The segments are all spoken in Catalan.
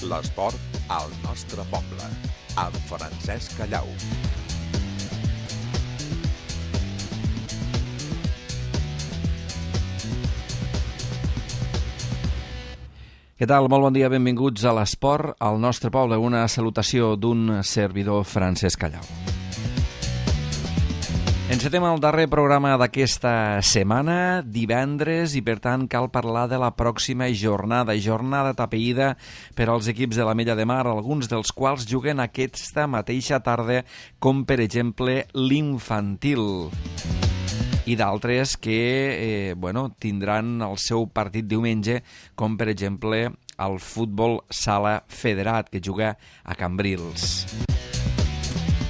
L'esport al nostre poble, amb Francesc Callau. Què tal? Molt bon dia, benvinguts a l'Esport al nostre poble. Una salutació d'un servidor, Francesc Callau. Encetem el darrer programa d'aquesta setmana, divendres, i per tant cal parlar de la pròxima jornada tapeïda per als equips de l'Ametlla de Mar, alguns dels quals juguen aquesta mateixa tarda, com per exemple l'infantil, i d'altres que tindran el seu partit diumenge, com per exemple el futbol sala federat, que juga a Cambrils.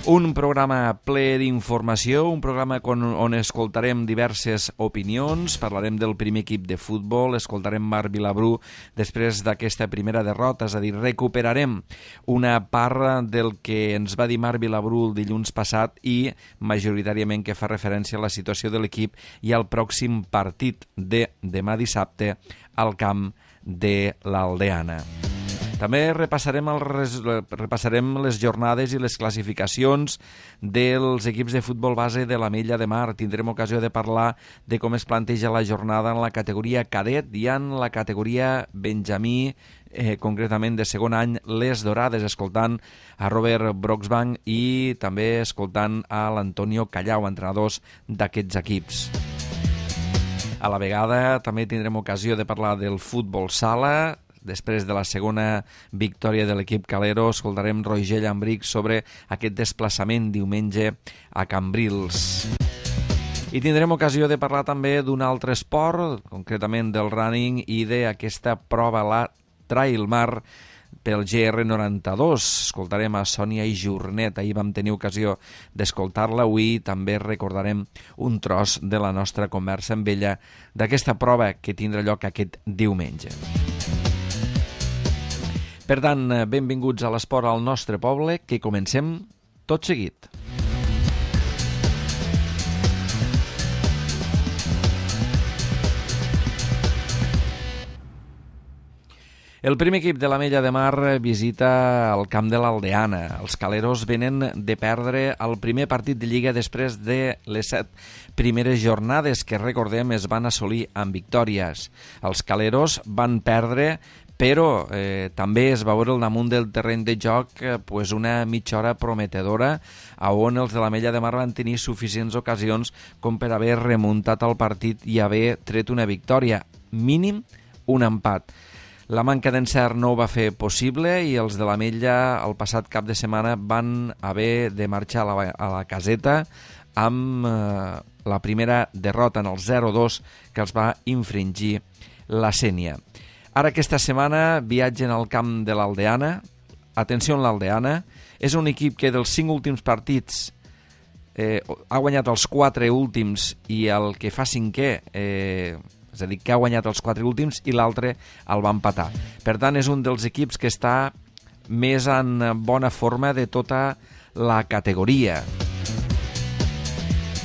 Un programa ple d'informació, un programa on escoltarem diverses opinions, parlarem del primer equip de futbol, escoltarem Marc Vilabrú després d'aquesta primera derrota, és a dir, recuperarem una part del que ens va dir Marc Vilabrú el dilluns passat i majoritàriament que fa referència a la situació de l'equip i al pròxim partit de demà dissabte al camp de l'Aldeana. També repassarem les jornades i les classificacions dels equips de futbol base de l'Ametlla de Mar. Tindrem ocasió de parlar de com es planteja la jornada en la categoria cadet i en la categoria benjamí, concretament de segon any, les Dorades, escoltant a Robert Broxbank i també escoltant a l'Antonio Callau, entrenadors d'aquests equips. A la vegada també tindrem ocasió de parlar del futbol sala. Després de la segona victòria de l'equip Calero, escoltarem Roger Llambric sobre aquest desplaçament diumenge a Cambrils. I tindrem ocasió de parlar també d'un altre esport, concretament del running i d'aquesta prova, la Trailmar, pel GR92. Escoltarem a Sònia i Jornet. Ahir vam tenir ocasió d'escoltar-la. Avui també recordarem un tros de la nostra conversa amb ella d'aquesta prova que tindrà lloc aquest diumenge. Per tant, benvinguts a l'Esport al nostre poble, que comencem tot seguit. El primer equip de l'Ametlla de Mar visita el camp de l'Aldeana. Els caleros venen de perdre el primer partit de Lliga després de les 7 primeres jornades que, recordem, es van assolir amb victòries. Els caleros van perdre, però també es va veure al damunt del terreny de joc una mitja hora prometedora on els de l'Ametlla de Mar van tenir suficients ocasions com per haver remuntat el partit i haver tret una victòria, mínim un empat. La manca d'encert no ho va fer possible i els de l'Ametlla el passat cap de setmana van haver de marxar a la caseta amb la primera derrota en el 0-2 que els va infringir la Sénia. Ara aquesta setmana viatgen al camp de l'Aldeana. Atenció, l'Aldeana és un equip que dels 5 últims partits ha guanyat els 4 últims i el que fa 5è, és a dir, que ha guanyat els 4 últims i l'altre el va empatar. Per tant, és un dels equips que està més en bona forma de tota la categoria.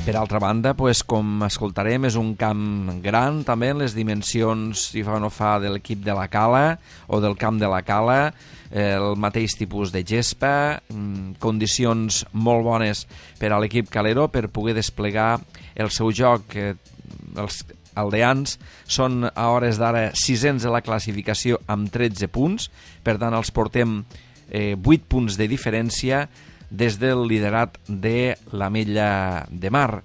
Per altra banda, com escoltarem, és un camp gran, també en les dimensions, si fa o no fa, de l'equip de la Cala o del camp de la Cala, el mateix tipus de gespa, condicions molt bones per a l'equip calero per poder desplegar el seu joc. Els aldeans són a hores d'ara 600 de la classificació amb 13 punts, per tant els portem 8 punts de diferència des del liderat de l'Ametlla de Mar.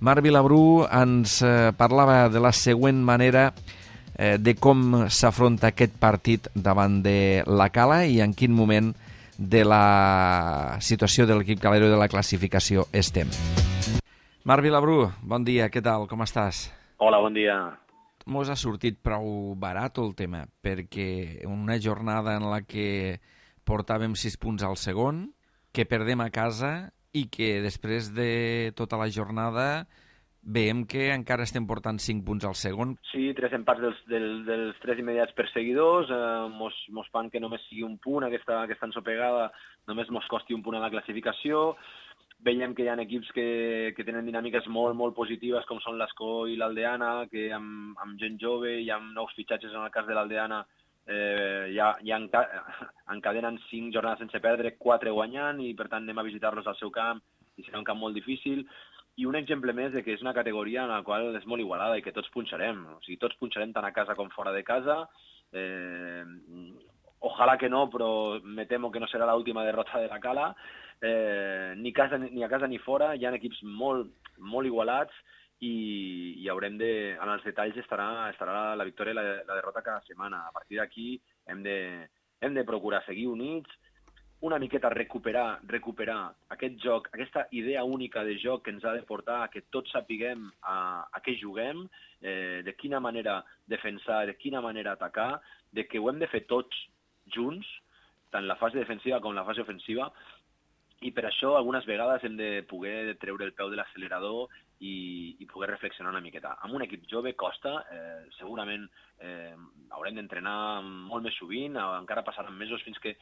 Marc Vilabrú ens parlava de la següent manera de com s'afronta aquest partit davant de la Cala i en quin moment de la situació de l'equip calero de la classificació estem. Marc Vilabrú, bon dia, què tal, com estàs? Hola, bon dia. Mos ha sortit prou barat el tema, perquè una jornada en la que portàvem 6 punts al segon, que perdem a casa i que després de tota la jornada veiem que encara estem portant 5 punts al segon. Sí, 3 empats dels 3 immediats perseguidors, mos fan que només sigui un punt aquesta ensopegada, només mos costi un punt a la classificació. Veiem que hi ha equips que tenen dinàmiques molt, molt positives, com són l'Escó i l'Aldeana, que amb gent jove i amb nous fitxatges en el cas de l'Aldeana ja encadenen 5 jornades sense perdre, 4 guanyant, i per tant anem a visitar-los al seu camp, i serà un camp molt difícil. I un exemple més de que és una categoria en la qual és molt igualada i que tots punxarem. O sigui, tots punxarem tant a casa com fora de casa. Ojalà que no, però me temo que no serà l'última derrota de la Cala. Ni a casa ni fora, hi ha equips molt, molt igualats, i haurem de... En els detalls estarà la victòria i la derrota cada setmana. A partir d'aquí hem de procurar seguir units, una miqueta recuperar aquest joc, aquesta idea única de joc que ens ha de portar a que tots sapiguem a què juguem, de quina manera defensar, de quina manera atacar, de que ho hem de fer tots junts, tant la fase defensiva com la fase ofensiva, i per això algunes vegades hem de poder treure el peu de l'accelerador i poder reflexionar una miqueta. Amb un equip jove costa, segurament haurem d'entrenar molt més sovint, encara passaran mesos fins que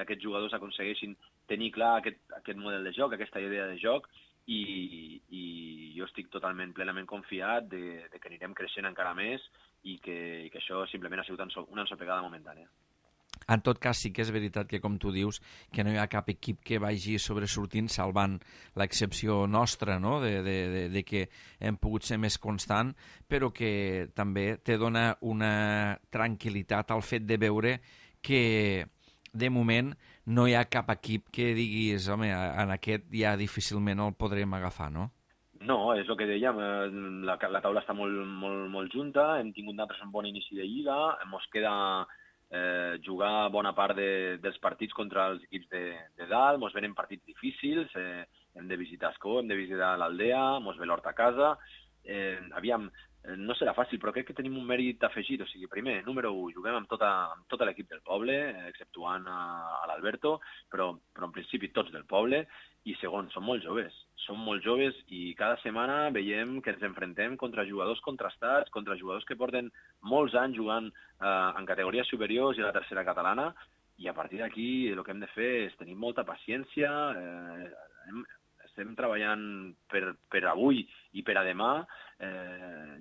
aquests jugadors aconsegueixin tenir clar aquest model de joc, aquesta idea de joc, i jo estic plenament confiat de que anirem creixent encara més i que això simplement ha sigut una ensopegada momentània. En tot cas, sí que és veritat que, com tu dius, que no hi ha cap equip que vagi sobresortint, salvant l'excepció nostra, no?, de que hem pogut ser més constant, però que també te dona una tranquil·litat al fet de veure que, de moment, no hi ha cap equip que diguis, home, en aquest ja difícilment el podrem agafar, no? No, és el que dèiem, la taula està molt, molt, molt junta, hem tingut nosaltres un bon inici de lliga, ens queda jugar bona part dels partits contra els equips de dalt, ens venen partits difícils, hem de visitar Escó, hem de visitar l'Aldea, ens ve l'Hort a casa, aviam, no serà fàcil, però crec que tenim un mèrit afegit, o sigui, primer, número 1, juguem amb tot l'equip del poble, exceptuant a l'Alberto, però en principi tots del poble, i segon, són molt joves i cada setmana veiem que ens enfrontem contra jugadors contrastats, contra jugadors que porten molts anys jugant en categories superiors i a la tercera catalana, i a partir d'aquí el que hem de fer és tenir molta paciència, estem treballant per avui i per a demà,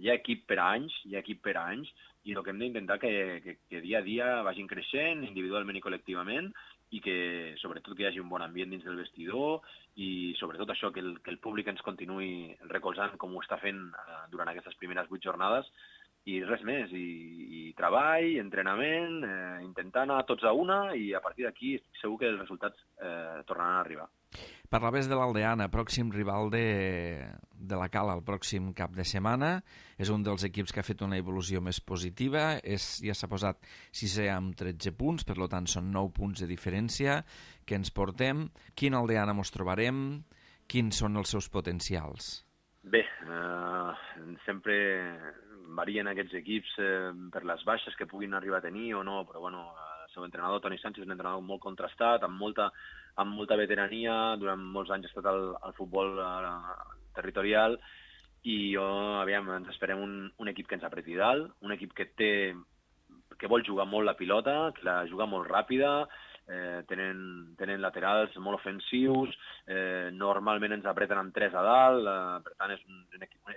hi ha equip per a anys, i el que hem d'intentar que dia a dia vagin creixent, individualment i col·lectivament, i que sobretot que hi hagi un bon ambient dins del vestidor, i sobretot això, que el públic ens continuï recolzant com ho està fent durant aquestes primeres 8 jornades, i res més, i treball, entrenament, intentar anar tots a una, i a partir d'aquí estic segur que els resultats tornaran a arribar. Parlaves de l'Aldeana, pròxim rival de la Cala el pròxim cap de setmana. És un dels equips que ha fet una evolució més positiva. Ja s'ha posat 6è amb 13 punts, per tant són 9 punts de diferència que ens portem. Quin Aldeana mos trobarem? Quins són els seus potencials? Bé, sempre varien aquests equips per les baixes que puguin arribar a tenir o no, però bueno, el seu entrenador, Toni Sánchez, és un entrenador molt contrastat, amb molta veterania, durant molts anys ha estat al futbol territorial, i ens esperem un equip que ens apreti dalt, un equip que vol jugar molt la pilota, que la juga molt ràpida, tenen laterals molt ofensius, normalment ens apreten amb 3 a dalt, per tant és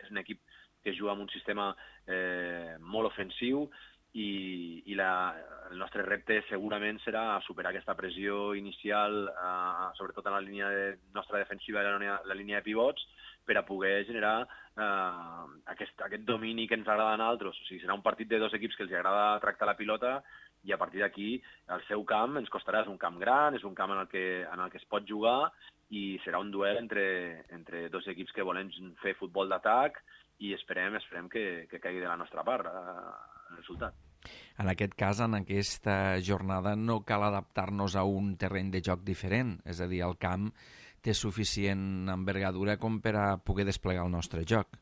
un equip que juga amb un sistema molt ofensiu, i el nostre repte segurament serà superar aquesta pressió inicial, sobretot en la línia nostra defensiva i la línia de pivots, per a poder generar aquest domini que ens agrada a nosaltres. O sigui, serà un partit de 2 equips que els agrada tractar la pilota, i a partir d'aquí el seu camp ens costarà. És un camp gran, és un camp en el que es pot jugar, i serà un duel entre 2 equips que volen fer futbol d'atac, i esperem que caigui de la nostra part el resultat. En aquest cas, en aquesta jornada, no cal adaptar-nos a un terreny de joc diferent, és a dir, el camp té suficient envergadura com per a poder desplegar el nostre joc.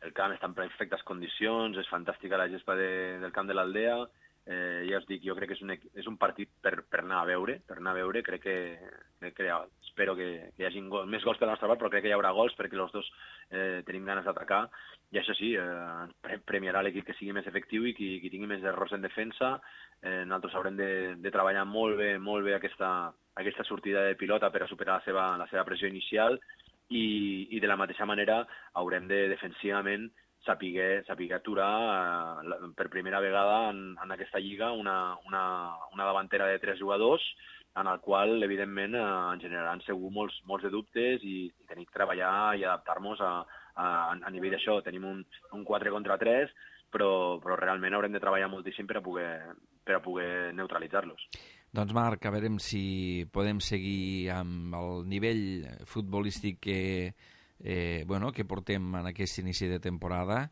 El camp està en perfectes condicions, és fantàstica la gespa del camp de l'Aldea, ja us dic, jo crec que és un partit per anar a veure, crec que espero que hi hagi més gols per la nostra part, però crec que hi haurà gols perquè els dos tenim ganes d'atacar, i això sí, premiarà l'equip que sigui més efectiu i qui tingui més errors en defensa. Nosaltres haurem de treballar molt bé aquesta sortida de pilota per a superar la seva pressió inicial, i de la mateixa manera haurem de defensivament saber aturar per primera vegada en aquesta lliga una davantera de 3 jugadors, en el qual, evidentment, ens generaran segur molts de dubtes i tenim que treballar i adaptar-nos a nivell d'això. Tenim un 4 contra 3, però realment haurem de treballar moltíssim per a poder neutralitzar-los. Doncs Marc, a veure si podem seguir amb el nivell futbolístic que portem en aquest inici de temporada.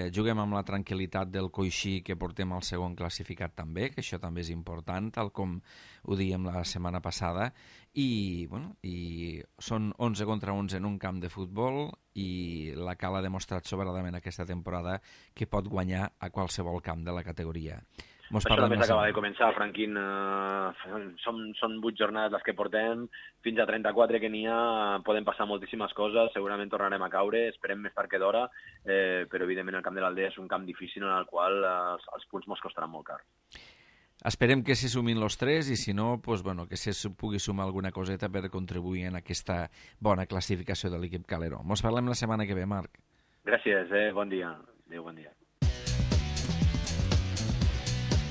Juguem amb la tranquil·litat del coixí que portem al segon classificat també, que això també és important, tal com ho dèiem la setmana passada, i són 11 contra 11 en un camp de futbol i la Cala ha demostrat sobradament aquesta temporada que pot guanyar a qualsevol camp de la categoria. Això només acaba de començar, Franquín. Són 8 jornades les que portem, fins a 34 que n'hi ha, poden passar moltíssimes coses, segurament tornarem a caure, esperem més tard que d'hora, però evidentment el camp de l'Aldea és un camp difícil en el qual els punts mos costaran molt car. Esperem que s'hi sumin els 3 i si no, que se pugui sumar alguna coseta per contribuir en aquesta bona classificació de l'equip Calero. Mos parlem la setmana que ve, Marc. Gràcies, bon dia. Adéu, bon dia.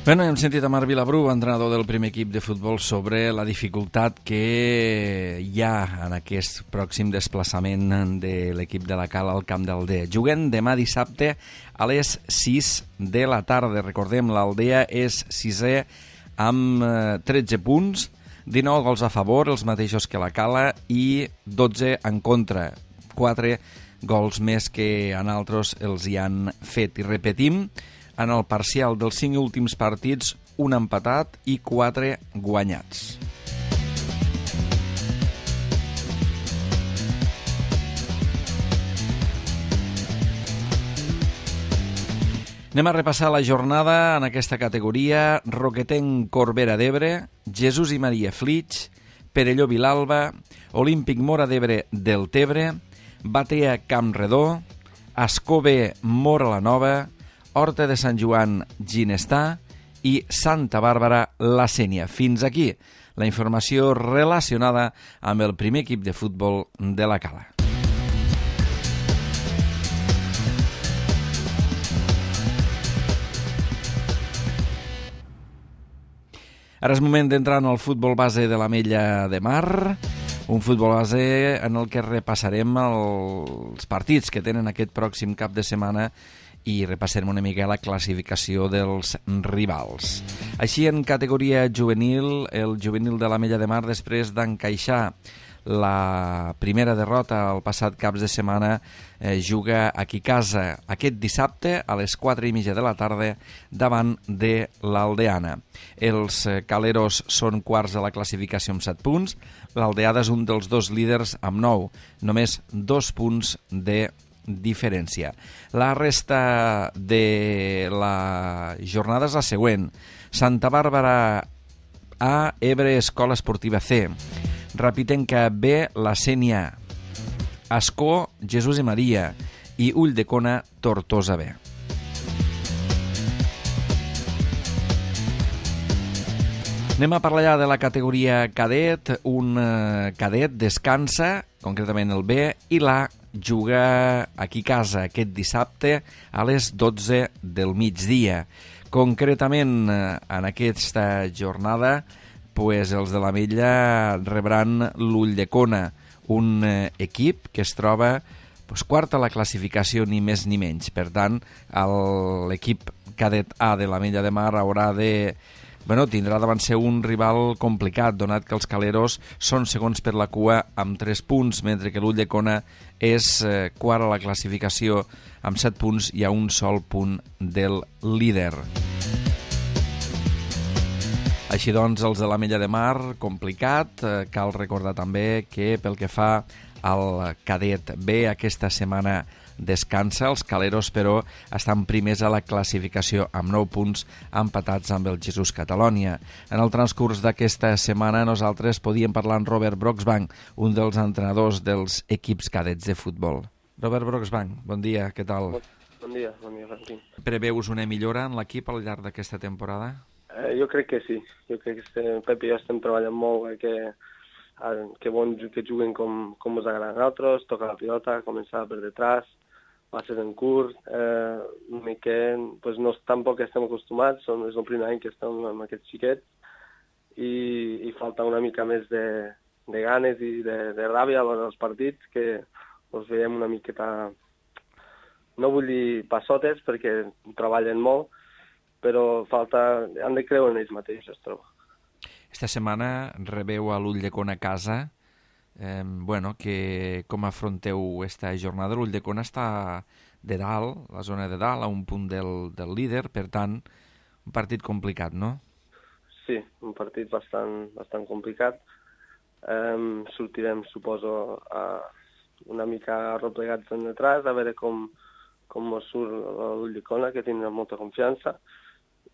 Hem sentit a Marc Vilabru, entrenador del primer equip de futbol, sobre la dificultat que hi ha en aquest pròxim desplaçament de l'equip de la Cala al camp d'Aldea. Juguem demà dissabte a les 6 de la tarda. Recordem, l'Aldea és 6è amb 13 punts, 19 gols a favor, els mateixos que la Cala, i 12 en contra. 4 gols més que en altres els hi han fet. I repetim, en el parcial dels 5 últims partits, un empatat i 4 guanyats. Anem a repassar la jornada en aquesta categoria. Roquetenc Corbera d'Ebre, Jesús i Maria Flix, Perelló Vilalba, Olímpic Móra d'Ebre del Tebre, Batea Campredó, Ascó-B Móra la Nova, Horta de Sant Joan Ginestà i Santa Bàrbara la Sénia. Fins aquí la informació relacionada amb el primer equip de futbol de la Cala. Ara és moment d'entrar en el futbol base de l'Ametlla de Mar, un futbol base en el que repassarem els partits que tenen aquest pròxim cap de setmana i repassarem una mica la classificació dels rivals. Així, en categoria juvenil, el juvenil de l'Ametlla de Mar, després d'encaixar la primera derrota el passat cap de setmana, juga aquí a casa aquest dissabte a les 4:30 de la tarda davant de l'Aldeana. Els caleros són quarts de la classificació amb 7 punts, l'Aldeada és un dels dos líders amb 9, només 2 punts de diferència. La resta de la jornada és la següent: Santa Bàrbara A, Ebre Escola Esportiva C, Rapitenca B, la Sénia, Ascó, Jesús i Maria i Ulldecona, Tortosa B. Anem a parlar ja de la categoria cadet. Un cadet descansa, concretament el B, i l'A juga aquí a casa aquest dissabte a les 12 del migdia. Concretament, en aquesta jornada, els de l'Ametlla rebran l'Ulldecona, un equip que es troba quart a la classificació, ni més ni menys. Per tant, l'equip cadet A de l'Ametlla de Mar haurà de... tindrà davant ser un rival complicat, donat que els caleros són segons per la cua amb 3 punts, mentre que l'Ulldecona és quart a la classificació amb 7 punts i a un sol punt del líder. Així doncs, els de l'Ametlla de Mar, complicat. Cal recordar també que pel que fa al cadet B, aquesta setmana descansa. Els caleros, però, estan primers a la classificació amb 9 punts, empatats amb el Jesús Catalònia. En el transcurs d'aquesta setmana nosaltres podíem parlar amb Robert Broxbank, un dels entrenadors dels equips cadets de futbol. Robert Broxbank, bon dia, què tal? Bon dia, Franquín. Preveus una millora en l'equip al llarg d'aquesta temporada? Jo crec que sí. Jo crec que Pep i jo estem treballant molt, que juguen com ens agrada a nosaltres, tocar la pilota, començar per detrás, va ser en curt, una mica, pues no, tampoc estem acostumats, és el primer any que estem amb aquests xiquets i falta una mica més de ganes i de ràbia a l'hora dels partits, que els veiem una miqueta, no vull dir passotes perquè treballen molt, però han de creure en ells mateixos, trobo. Esta setmana rebeu a l'Ulldecona a casa. Com afronteu esta jornada? L'Ulldecona està de dalt, la zona de dalt, a un punt del líder, per tant, un partit complicat, no? Sí, un partit bastant complicat. Sortirem, suposo, una mica arreplegats en detrás, a veure com ens surt l'Ulldecona, que tindrà molta confiança,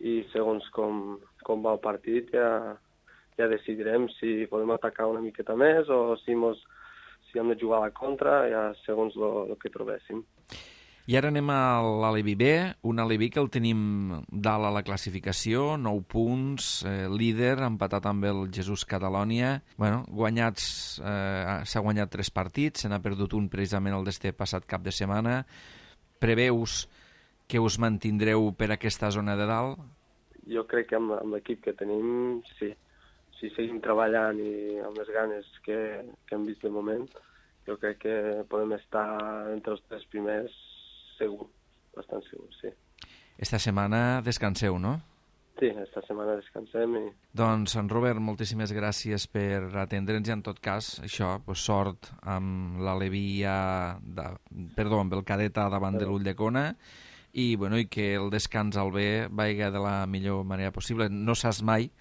i segons com va el partit ja decidirem si podem atacar una miqueta més o si hem de jugar a la contra, ja segons el que trobéssim. I ara anem a l'Alevi B, un Alevi que el tenim dalt a la classificació, 9 punts, líder, empatat amb el Jesús Catalonia. S'ha guanyat 3 partits, se n'ha perdut un precisament el d'este passat cap de setmana. Preveus que us mantindreu per aquesta zona de dalt? Jo crec que amb l'equip que tenim, sí. Si seguim treballant i amb les ganes que hem vist de moment, jo crec que podem estar entre els 3 primers segur, bastant segur, sí. Esta setmana descanseu, no? Sí, esta setmana descansem. Doncs, en Robert, moltíssimes gràcies per atendre'ns i, en tot cas, sort amb l'Alevi amb el cadet davant de l'Ulldecona i que el descans al B vagi de la millor manera possible. No saps mai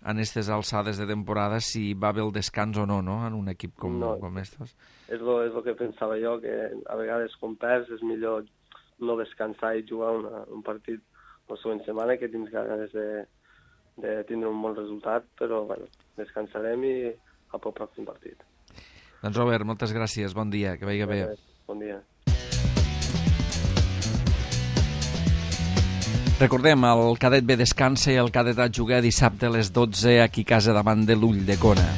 en aquestes alçades de temporada si va bé el descans o no, en un equip com estos. És el que pensava jo, que a vegades quan perds és millor no descansar i jugar un partit la següent setmana, que tens ganes de tindre un bon resultat, però descansarem i al pròxim partit. Doncs Robert, moltes gràcies, bon dia, que vagi bé. Bon dia. Recordem, el cadet B descansa i el cadet A juga dissabte a les 12 aquí a casa davant de l'Ulldecona.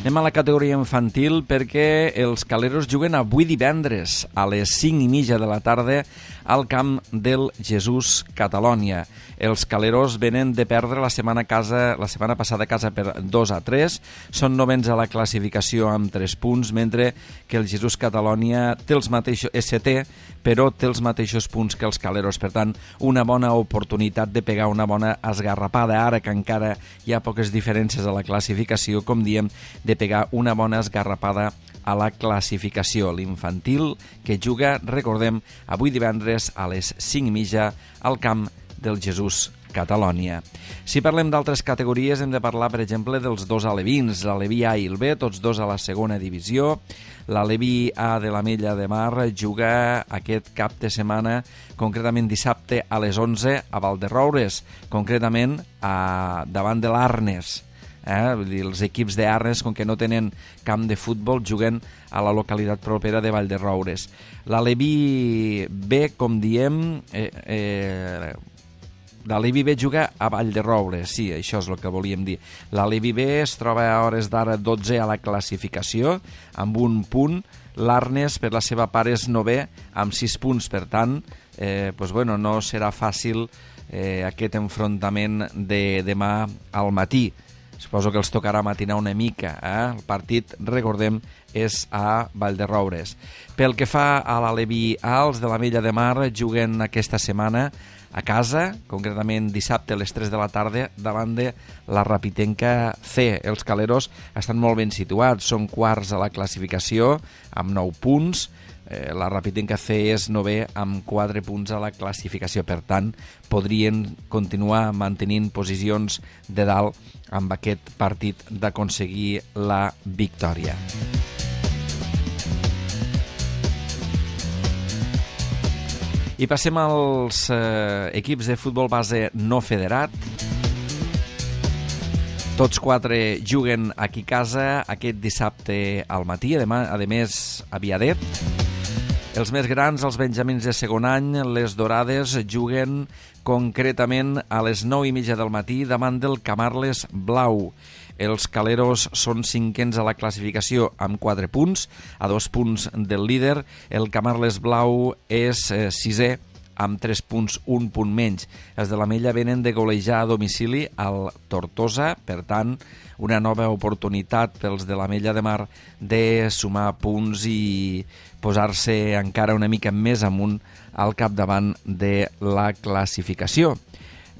Anem a la categoria infantil perquè els Caleros juguen avui divendres a les 5:30 de la tarda al camp del Jesús Catalonia. Els Caleros venen de perdre la setmana passada a casa per 2-3, són novens a la classificació amb 3 punts, mentre que el Jesús Catalonia té els mateixos ST, però té els mateixos punts que els Caleros. Per tant, una bona oportunitat de pegar una bona esgarrapada, ara que encara hi ha poques diferències a la classificació, com diem, de pegar una bona esgarrapada a la classificació. L'infantil que juga, recordem, avui divendres a les 5:30 al camp del Jesús Catalonia. Si parlem d'altres categories hem de parlar, per exemple, dels 2 alevins, l'Alevi A i el B, tots dos a la segona divisió. L'Alevi A de l'Ametlla de Mar juga aquest cap de setmana, concretament dissabte a les 11 a Valderoures, concretament davant de l'Arnes. Vull dir, els equips d'Arnes, com que no tenen camp de futbol, juguen a la localitat propera de Valderoures. L'Alevi B, com diem, l'Alevi B juga a Valderoures, sí, això és el que volíem dir. L'Alevi B es troba a hores d'ara 12 a la classificació, amb un punt. L'Arnes, per la seva part, és 9è, amb 6 punts. Per tant, no serà fàcil aquest enfrontament de demà al matí. Suposo que els tocarà matinar una mica. El partit, recordem, és a Valderoures. Pel que fa a l'Alevi A, els de l'Ametlla de Mar juguen aquesta setmana a casa, concretament dissabte a les 3 de la tarda, davant de la Rapitenca C. Els Caleros estan molt ben situats, són quarts a la classificació, amb 9 punts. La Rapitenca C és 9è amb 4 punts a la classificació. Per tant, podrien continuar mantenint posicions de dalt amb aquest partit d'aconseguir la victòria. I passem als equips de futbol base no federat. Tots 4 juguen aquí a casa aquest dissabte al matí, a més a Viadet. Els més grans, els benjamins de segon any, les Dorades, juguen concretament a les 9:30 del matí davant del Camarles Blau. Els Caleros són 5ens a la classificació amb 4 punts, a 2 punts del líder. El Camarles Blau és 6è amb 3 punts, 1 punt menys. Els de l'Ametlla venen de golejar a domicili al Tortosa, per tant, una nova oportunitat pels de l'Ametlla de Mar de sumar punts i posar-se encara una mica més amunt al capdavant de la classificació.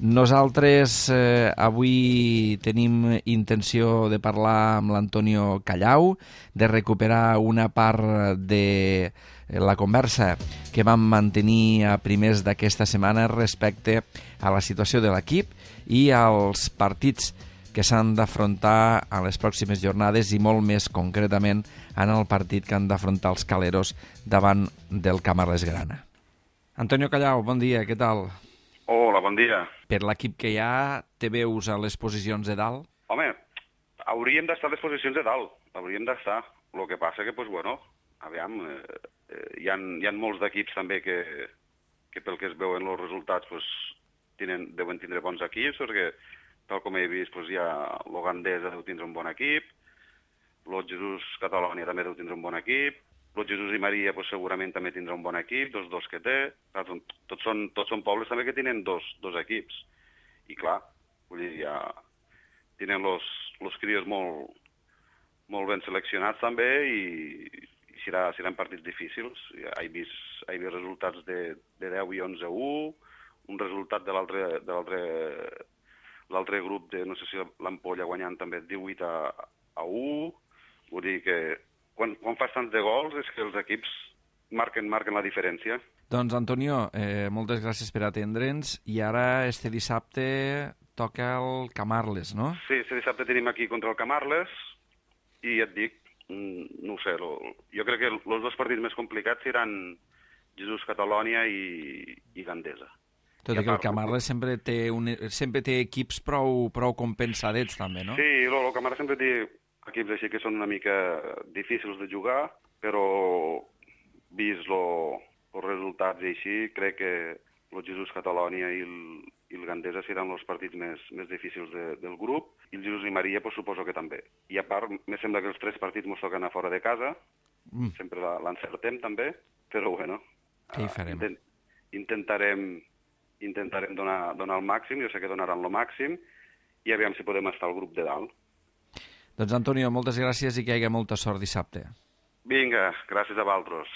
Nosaltres avui tenim intenció de parlar amb l'Antonio Callau, de recuperar una part de la conversa que vam mantenir a primers d'aquesta setmana respecte a la situació de l'equip i als partits que s'han d'afrontar a les pròximes jornades i molt més concretament en el partit que han d'afrontar els Caleros davant del Camarles Grana. Antonio Callau, bon dia, què tal? Hola, bon dia. Per l'equip que hi ha, te veus a les posicions de dalt? Home, hauríem d'estar a les posicions de dalt, hauríem d'estar. El que passa que, aviam, hi ha molts d'equips també que pel que es veuen els resultats deuen tindre bons equips, perquè tal com he vist hi ha l'Ogandesa deu tindre un bon equip, l'Ot Jesús Catalònia també deu tindre un bon equip, l'Ot Jesús i Maria segurament també tindrà un bon equip, dos que té. Tots són pobles també que tenen dos equips. I clar, ja tenen els crios molt ben seleccionats també i seran partits difícils. He vist resultats de 10 i 11-1, un resultat de l'altre grup de, no sé si l'Ampolla guanyant també 18-1. Vull dir que quan fas tants de gols és que els equips marquen la diferència. Doncs, Antonio, moltes gràcies per atendre'ns. I ara, este dissabte, toca el Camarles, no? Sí, este dissabte tenim aquí contra el Camarles i ja et dic, no ho sé, jo crec que els dos partits més complicats seran Jesús Catalònia i Gandesa. Tot i que el Camarles sempre té equips prou compensadets, també, no? Sí, el Camarles sempre té equips així que són una mica difícils de jugar, però vist els resultats i així, crec que el Jesús Catalònia i el Gandesa seran els partits més difícils del grup, i el Jesús i Maria suposo que també. I a part, me sembla que els 3 partits ens toquen a fora de casa, sempre l'encertem també, però bueno, què hi farem? Intentarem donar el màxim, jo sé que donaran el màxim, i aviam si podem estar al grup de dalt. Doncs, Antonio, moltes gràcies i que hi hagi molta sort dissabte. Vinga, gràcies a vosaltres.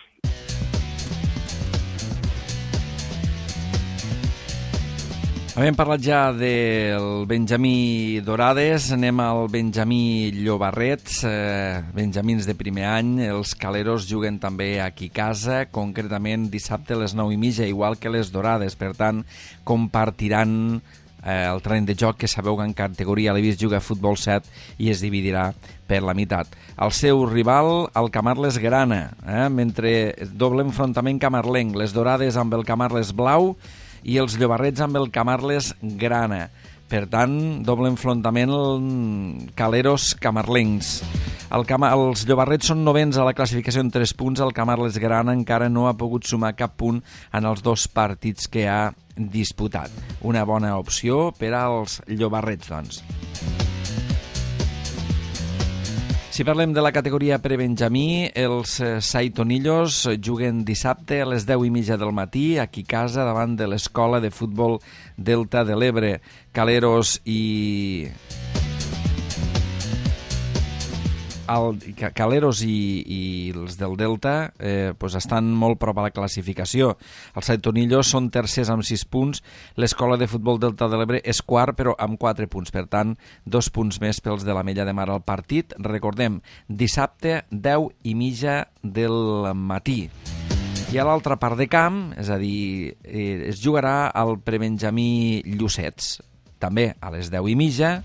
Hem parlat ja del Benjamí Dorades, anem al Benjamí Llobarrets, benjamins de primer any. Els Caleros juguen també aquí a casa, concretament dissabte a les 9:30, igual que les Dorades. Per tant, compartiran el terreny de joc, que sabeu que en categoria l'Evis juga a futbol 7 i es dividirà per la meitat. El seu rival, el Camarles Grana, mentre doble enfrontament camarlenc, les Dorades amb el Camarles Blau i els Llobarrets amb el Camarles Grana. Per tant, doble enfrontament Caleros camarlencs. Els Llobarrets són 9ens a la classificació en 3 punts. El Camarles Grana encara no ha pogut sumar cap punt en els 2 partits que ha disputat. Una bona opció per als Llobarrets, doncs. Si parlem de la categoria prebenjamí, els Saitonillos juguen dissabte a les 10:30 del matí, aquí a casa, davant de l'Escola de Futbol Delta de l'Ebre. Caleros i els del Delta estan molt prop a la classificació. Els Saitonillos són tercers amb 6 punts, l'Escola de Futbol Delta de l'Ebre és quart però amb 4 punts, per tant 2 punts més pels de l'Ametlla de Mar al partit. Recordem, dissabte 10:30 del matí. I a l'altra part de camp, és a dir, es jugarà al prebenjamí Llucets, també a les 10:30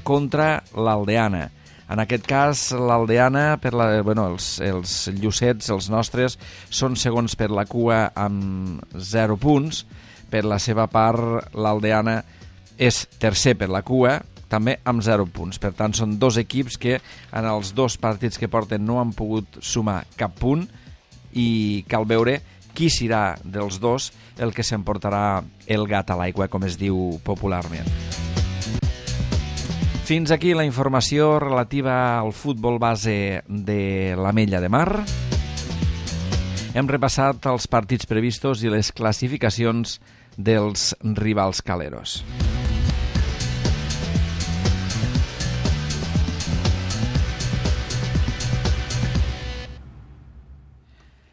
contra l'Aldeana. En aquest cas, l'Aldeana, els Llucets, els nostres, són segons per la cua amb 0 punts. Per la seva part, l'Aldeana és tercer per la cua, també amb 0 punts. Per tant, són 2 equips que en els 2 partits que porten no han pogut sumar cap punt i cal veure qui serà dels 2 el que s'emportarà el gat a l'aigua, com es diu popularment. Fins aquí la informació relativa al futbol base de l'Ametlla de Mar. Hem repassat els partits previstos i les classificacions dels rivals caleros.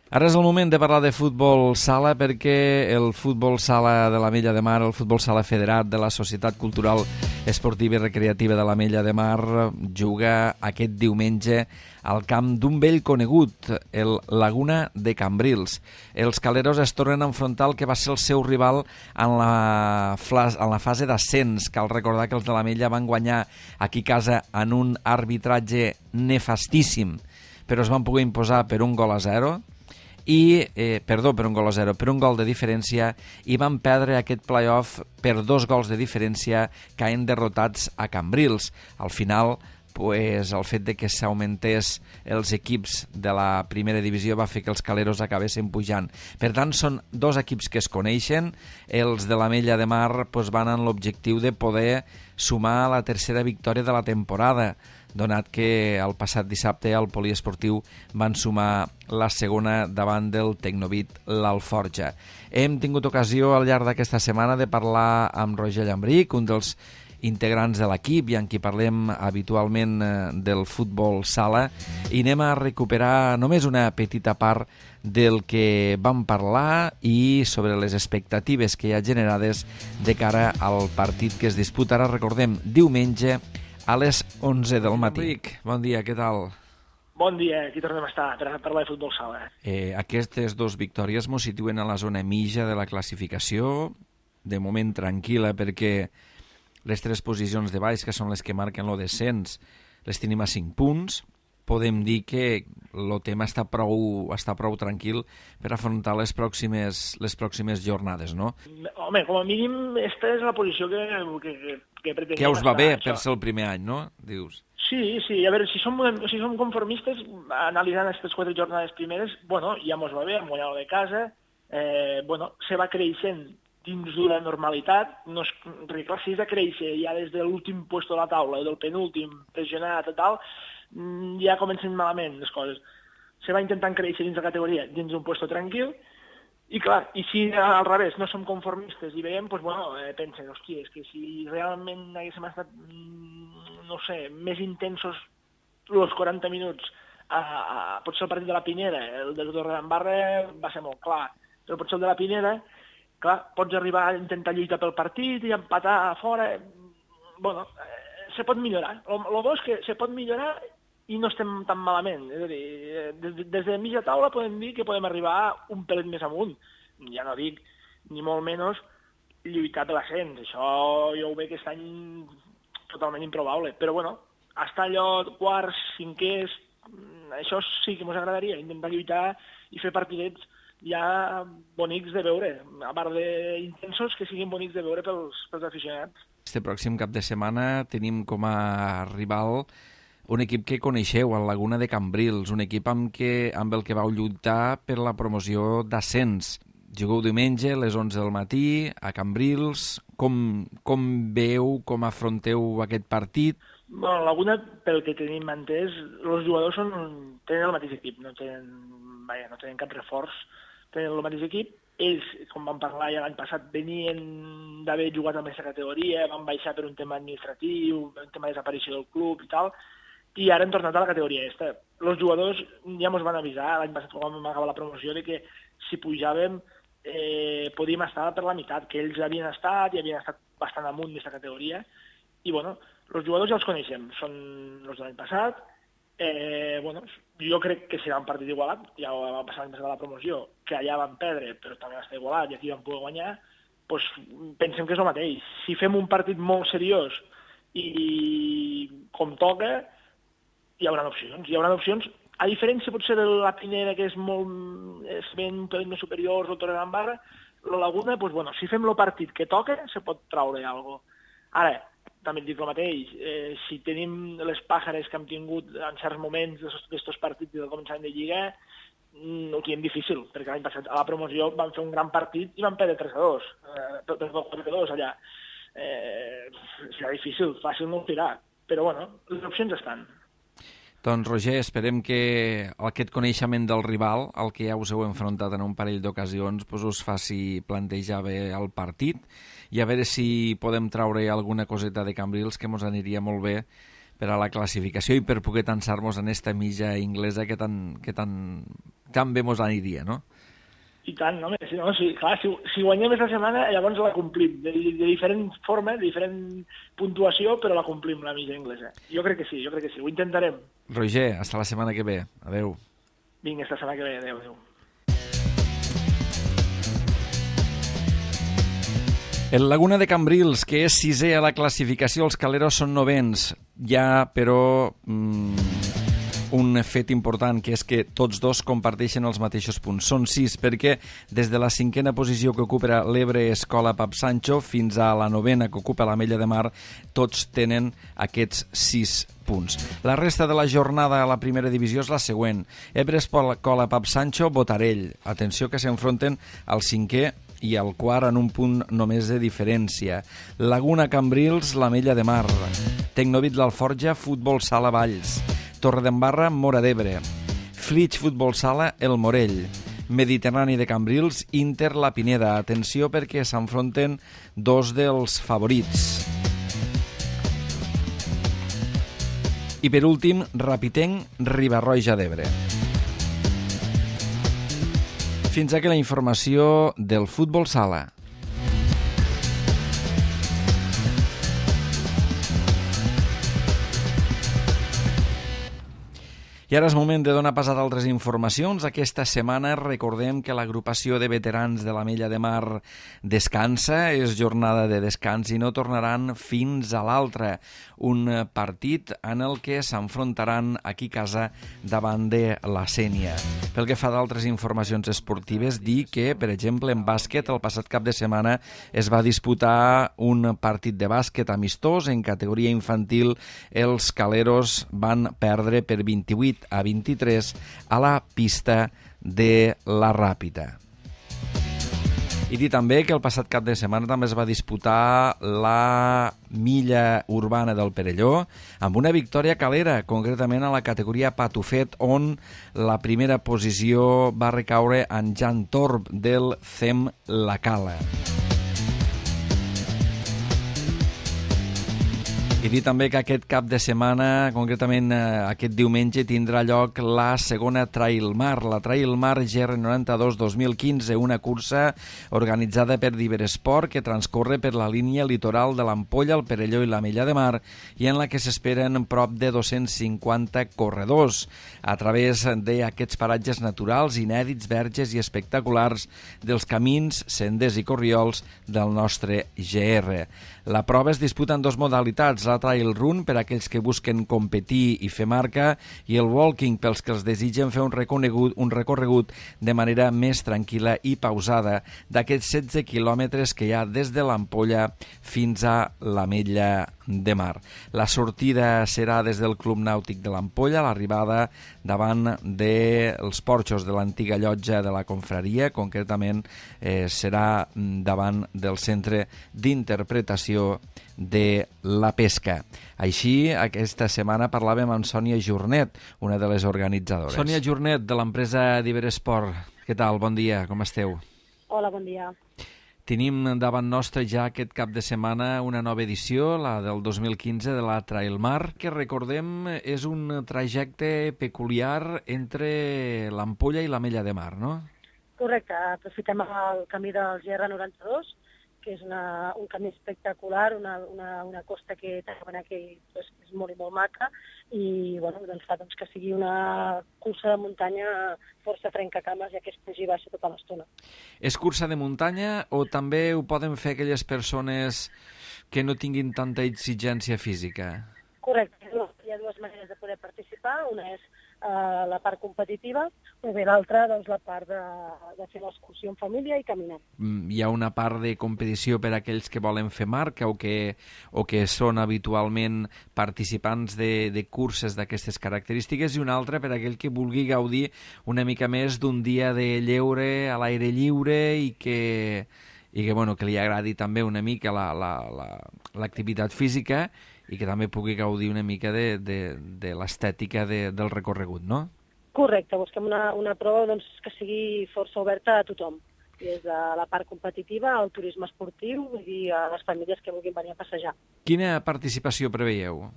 Ara és el moment de parlar de futbol sala perquè el futbol sala de l'Ametlla de Mar, el futbol sala federat de la Societat Cultural Esportiva i Recreativa de l'Ametlla de Mar juga aquest diumenge al camp d'un vell conegut, el Laguna de Cambrils. Els caleros es tornen a enfrontar el que va ser el seu rival en la fase d'ascens. Cal recordar que els de l'Ametlla van guanyar aquí a casa en un arbitratge nefastíssim, però es van poder imposar per un gol a 0. Per un gol a 0, per un gol de diferència, i van perdre aquest play-off per 2 gols de diferència, caient derrotats a Cambrils. Al final, el fet de que s'augmentés els equips de la primera divisió va fer que els caleros acabessin pujant. Per tant, són 2 equips que es coneixen. Els de l'Ametlla de Mar van amb l'objectiu de poder sumar la tercera victòria de la temporada, donat que el passat dissabte al poliesportiu van sumar la segona davant del Tecnovit l'Alforja. Hem tingut ocasió al llarg d'aquesta setmana de parlar amb Roger Llambric, un dels integrants de l'equip i en qui parlem habitualment del futbol sala, i anem a recuperar només una petita part del que vam parlar i sobre les expectatives que hi ha generades de cara al partit que es disputarà, recordem, diumenge a les 11 del matí. Bon dia, què tal? Bon dia, aquí tornem a estar per parlar de futbol sala. Aquestes 2 victòries mos situen a la zona mitja de la classificació, de moment tranquil·la, perquè les 3 posicions de baix, que són les que marquen el descens, les tenim a 5 punts. Podem dir que el tema està prou tranquil per afrontar les pròximes jornades, no? Home, com a mínim, aquesta és la posició que pretenem. Que us va bé per ser el primer any, no? Dius. Sí, a veure, si som conformistes, analitzant aquestes 4 jornades primeres, ja mos va bé, hem guanyat de casa, se va creixent dins d'una normalitat, clar, si és de créixer ja des de l'últim puesto de la taula, del penúltim, pressionat i tal, ja comencen malament les coses. Se va intentant créixer dins la categoria, dins d'un puesto tranquil, i clar, i si al revés no som conformistes i veiem, pensen, hòstia, és que si realment haguéssim estat, més intensos els 40 minuts, potser el partit de la Pineda, el del Torredembarra va ser molt clar, però potser el de la Pineda, clar, pots arribar a intentar lluitar pel partit i empatar a fora, se pot millorar. El bo és que se pot millorar i no estem tan malament. És a dir, des de mitja taula podem dir que podem arribar un pelet més amunt. Ja no dic, ni molt menys, lluitar per l'ascens. Això jo ho veig aquest any totalment improbable. Però, estar allò quarts, cinquers, això sí que ens agradaria, intentar lluitar i fer partidets ja bonics de veure, a part d'intensos, que siguin bonics de veure pels aficionats. Este pròxim cap de setmana tenim com a rival un equip que coneixeu, el Laguna de Cambrils, un equip amb el que vau lluitar per la promoció d'ascens. Jugueu diumenge a les 11 del matí a Cambrils. Com veieu, com afronteu aquest partit? Laguna, pel que tenim entès, els jugadors tenen el mateix equip, no tenen cap reforç, tenen el mateix equip. Ells, com vam parlar ja l'any passat, venien d'haver jugat amb aquesta categoria, van baixar per un tema administratiu, un tema de desaparició del club i tal, i ara hem tornat a la categoria aquesta. Els jugadors ja ens van avisar l'any passat quan vam acabar la promoció de que si pujàvem podíem estar per la meitat, que ells havien estat i havien estat bastant amunt d'aquesta categoria, i els jugadors ja els coneixem, són els de l'any passat. Jo crec que serà un partit igualat, ja ho va passar l'any passat a la promoció, que allà van perdre, però també va estar igualat i aquí van poder guanyar, pensem que és el mateix. Si fem un partit molt seriós i com toca, hi haurà opcions. A diferència potser de la Pineda, que és ben un pelet més superior, el Torredembarra, la Laguna, si fem el partit que toca, se pot traure alguna cosa. Ara, també et dic el mateix, si tenim les pàjares que hem tingut en certs moments d'aquests partits del començament de Lliga, ho tenim difícil, perquè l'any passat a la promoció van fer un gran partit i van perdre 3-2, 4-2 allà. Serà difícil, fàcil no ho serà, Però, bueno, les opcions estan. Doncs, Roger, esperem que aquest coneixement del rival, al que ja us heu enfrontat en un parell d'ocasions, doncs us faci plantejar bé el partit i a veure si podem traure alguna coseta de Cambrils que ens aniria molt bé per a la classificació i per poder tensar-nos en esta mitja inglesa que tan bé ens aniria, no? I tant, no? Clar, si guanyem aquesta setmana, llavors la complim, de diferent forma, de diferent puntuació, però la complim, la mitja inglesa. Jo crec que sí, ho intentarem. Roger, hasta la setmana que ve. Adeu. Vinga, esta setmana que ve, adeu. El Laguna de Cambrils, que és sisè a la classificació, els Caleros són novens. Hi ha, però, un fet important, que és que tots dos comparteixen els mateixos punts. Són 6, perquè des de la 5a posició que ocupa l'Ebre Escola Pap Sancho fins a la 9a que ocupa l'Ametlla de Mar, tots tenen aquests 6 punts. La resta de la jornada a la primera divisió és la següent. Ebre Escola Pap Sancho, Botarell. Atenció que s'enfronten al 5è i al quart en un punt només de diferència. Laguna Cambrils, l'Ametlla de Mar. Tecnovit l'Alforja, Futbol Sala Valls. Torredembarra, Móra d'Ebre. Flix Futbol Sala, El Morell. Mediterrani de Cambrils, Inter La Pineda. Atenció perquè s'enfronten dos dels favorits. I per últim, Rapitenc, Riba-roja d'Ebre. Fins aquí la informació del Futbol Sala. I ara és moment de donar pas a d'altres informacions. Aquesta setmana recordem que l'agrupació de veterans de l'Ametlla de Mar descansa, és jornada de descans i no tornaran fins a l'altra. Un partit en el que s'enfrontaran aquí a casa davant de la Sénia. Pel que fa d'altres informacions esportives, dir que, per exemple, en bàsquet, el passat cap de setmana es va disputar un partit de bàsquet amistós en categoria infantil. Els Caleros van perdre per 28-23 a la pista de la Ràpita. I dir també que el passat cap de setmana també es va disputar la milla urbana del Perelló amb una victòria calera, concretament a la categoria Patufet, on la primera posició va recaure en Jan Torb del CEM La Cala. I dir també que aquest cap de setmana, concretament aquest diumenge, tindrà lloc la segona Trail Mar, la Trail Mar GR92 2015, una cursa organitzada per Diveresport que transcorre per la línia litoral de l'Ampolla, el Perelló i l'Ametlla de Mar i en la que s'esperen prop de 250 corredors a través d'aquests paratges naturals, inèdits, verges i espectaculars dels camins, senders i corriols del nostre GR. La prova es disputa en dues modalitats, la Trail Run per a aquells que busquen competir i fer marca i el Walking pels que els desitgen fer un recorregut de manera més tranquil·la i pausada d'aquests 16 quilòmetres que hi ha des de l'Ampolla fins a l'Ametlla de Mar. La sortida serà des del Club Nàutic de l'Ampolla, l'arribada davant dels porxos de l'antiga llotja de la confraria, concretament serà davant del Centre d'Interpretació de la Pesca. Així, aquesta setmana parlàvem amb Sònia Jornet, una de les organitzadores. Sònia Jornet, de l'empresa Diveresport. Què tal? Bon dia, com esteu? Hola, bon dia. Tenim davant nostre ja aquest cap de setmana una nova edició, la del 2015 de la Trail Mar, que recordem és un trajecte peculiar entre l'Ampolla i l'Ametlla de Mar, no? Correcte, aprofitem el camí del GR92, que és un camí espectacular, una costa que és molt i molt maca i doncs fa que sigui una cursa de muntanya força trencacames, ja que és pujar i baixa tota l'estona. És cursa de muntanya o també ho poden fer aquelles persones que no tinguin tanta exigència física? Correcte, hi ha dues maneres de poder participar, una és la part competitiva, o bé l'altra, doncs, la part de fer l'excursió en família i caminar. Hi ha una part de competició per a aquells que volen fer marca o que són habitualment participants de curses d'aquestes característiques i una altra per a aquell que vulgui gaudir una mica més d'un dia de lleure a l'aire lliure i que i que, bueno, que li agradi també una mica l'activitat física i que també pugui gaudir una mica de l'estètica del recorregut, no? Correcte, busquem una prova doncs, que sigui força oberta a tothom, des de la part competitiva al turisme esportiu i a les famílies que vulguin venir a passejar. Quina participació preveieu?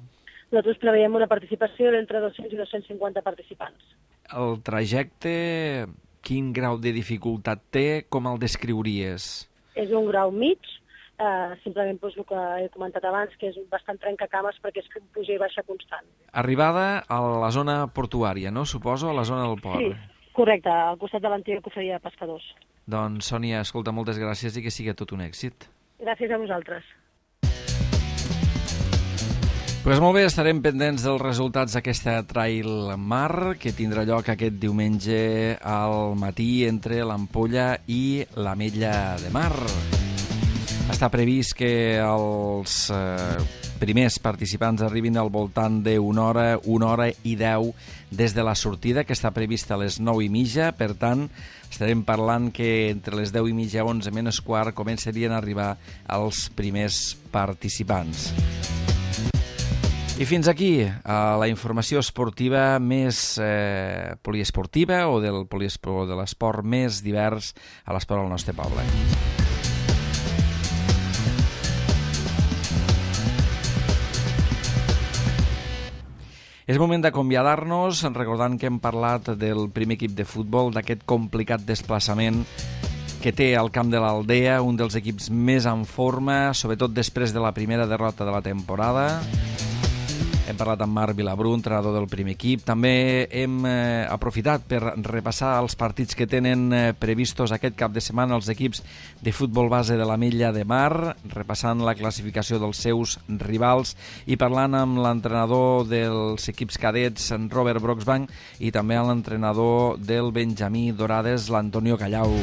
Nosaltres preveiem una participació d'entre 200 i 250 participants. El trajecte, quin grau de dificultat té? Com el descriuries? És un grau mig, simplement doncs, el que he comentat abans, que és bastant trencacames perquè és un puja i baixa constant. Arribada a la zona portuària, no? Suposo, a la zona del port. Sí, correcte, al costat de l'antiga cofreria de pescadors. Doncs, Sònia, escolta, moltes gràcies i que sigui tot un èxit. Gràcies a vosaltres. Pues molt bé, estarem pendents dels resultats d'aquesta Trail Mar, que tindrà lloc aquest diumenge al matí entre l'Ampolla i l'Ametlla de Mar. Està previst que els primers participants arribin al voltant d'una hora i 10 des de la sortida, que està prevista a les 9:30. Per tant, estarem parlant que entre les 10:30 i 11 menys quart començarien a arribar els primers participants. I fins aquí la informació esportiva més poliesportiva o de l'esport més divers a l'esport al nostre poble. És moment d'acomiadar-nos, recordant que hem parlat del primer equip de futbol, d'aquest complicat desplaçament que té al camp de l'Aldea, un dels equips més en forma, sobretot després de la primera derrota de la temporada. Hem parlat amb Marc Vilabrú, entrenador del primer equip. També hem aprofitat per repassar els partits que tenen previstos aquest cap de setmana els equips de futbol base de l'Ametlla de Mar, repassant la classificació dels seus rivals i parlant amb l'entrenador dels equips cadets, en Robert Broxbank, i també amb l'entrenador del Benjamí Dorades, l'Antonio Callau.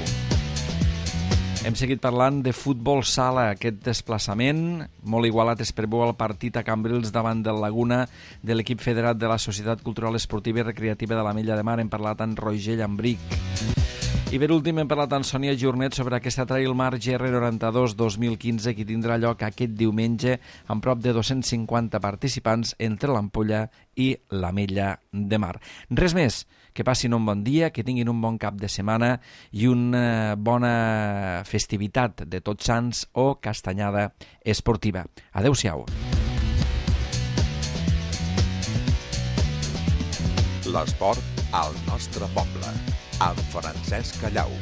Hem seguit parlant de futbol sala, aquest desplaçament molt igualat es preveu el partit a Cambrils davant del Laguna de l'equip federat de la Societat Cultural Esportiva i Recreativa de l'Ametlla de Mar. Hem parlat amb Roger Llambric. I per últim hem parlat amb Sònia Jornet sobre aquesta Trail Mar GR92 2015 que tindrà lloc aquest diumenge amb prop de 250 participants entre l'Ampolla i l'Ametlla de Mar. Res més. Que passin un bon dia, que tinguin un bon cap de setmana i una bona festivitat de Tots Sants o castanyada esportiva. Adéu-siau. L'esport al nostre poble, amb Francesc Callau.